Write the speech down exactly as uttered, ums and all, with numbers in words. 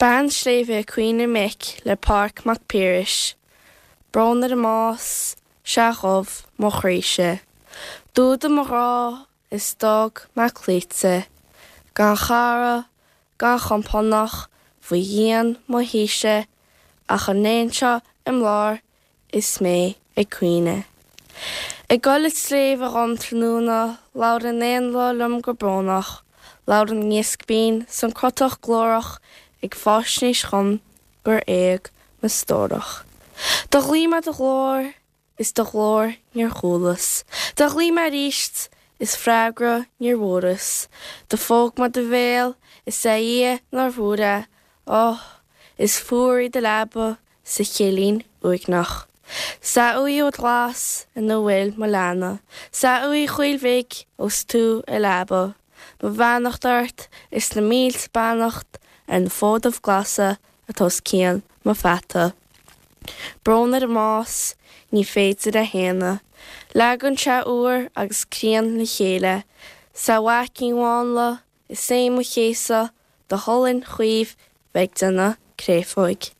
Bean Sléibhe ag Caoineadh Mic le Pádraig Mac Piarais. Brón ar an mbás, 'sea ghoibh mo chroíse. D'fhuadaigh mo ghrá is d'fhág mé cloíte, gan chara, gan chompánach faoi dhíon mo thíse ach an éan seo im lár is mé ag caoineadh. Ag gol an tsléibhe dhom tráthnóna, labhair an éanlaith liom go brónach, labhair an iasc binn 's an crotach glórach ag fáisnéis dhom gur éag mo stórach. Do ghlaoigh mé do ghlór is do ghlór níor chualas, do ghlaoigh mé aríst is freagra níor bhfuaras, do phóg mé do bhéal is a Dhia nár bhfuair é, Ó, is fuar í do leaba sa chillín uaigneach. 'S a uaigh ghlas ina bhfuil mo leanbh, 's a uaigh chaoil bhig ós tú i leaba, mo bheannacht ort is na mílte beannacht ar na fódaibh glasa atá os cionn mo pheata. Brón ar an mbás, ní féidir a shéanadh. Leagann sé úr agus críon le chéile, 's a mhaicín mhánla, is é mo chéasadh do cholainn chaoimh bheith ag déanamh créafóig.